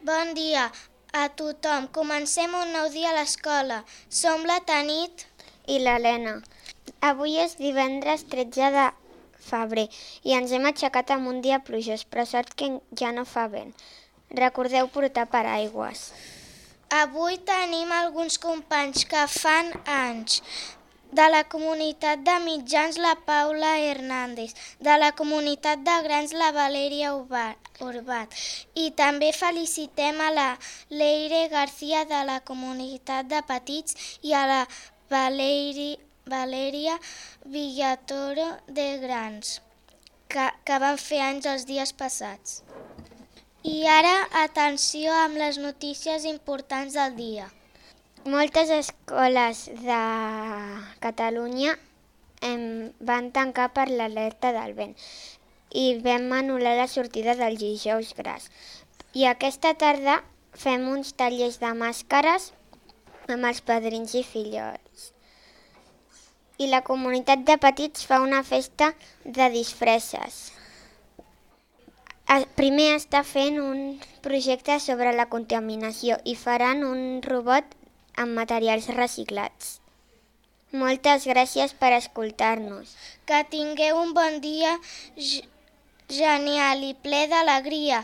Bon dia a tothom. Comencem un nou dia a l'escola. Som la Tanit i l'Helena. Avui és divendres 13 de febrer i ens hem aixecat amb un dia plujós, però sort que ja no fa vent. Recordeu portar paraigües. Avui tenim alguns companys que fan anys. De la comunitat de mitjans, la Paula Hernández. De la comunitat de grans, la Valèria Urbat. I també felicitem a la Leire García de la comunitat de petits i a la Valèria Villatoro de grans, que van fer anys els dies passats. I ara, atenció amb les notícies importants del dia. Moltes escoles de Catalunya van tancar per l'alerta del vent i vam anul·lar la sortida del dijous gras. I aquesta tarda fem uns tallers de màscares amb els padrins i fillols. I la comunitat de petits fa una festa de disfresses. Primer està fent un projecte sobre la contaminació i faran un robot amb materials reciclats. Moltes gràcies per escoltar-nos. Que tingueu un bon dia genial i ple d'alegria.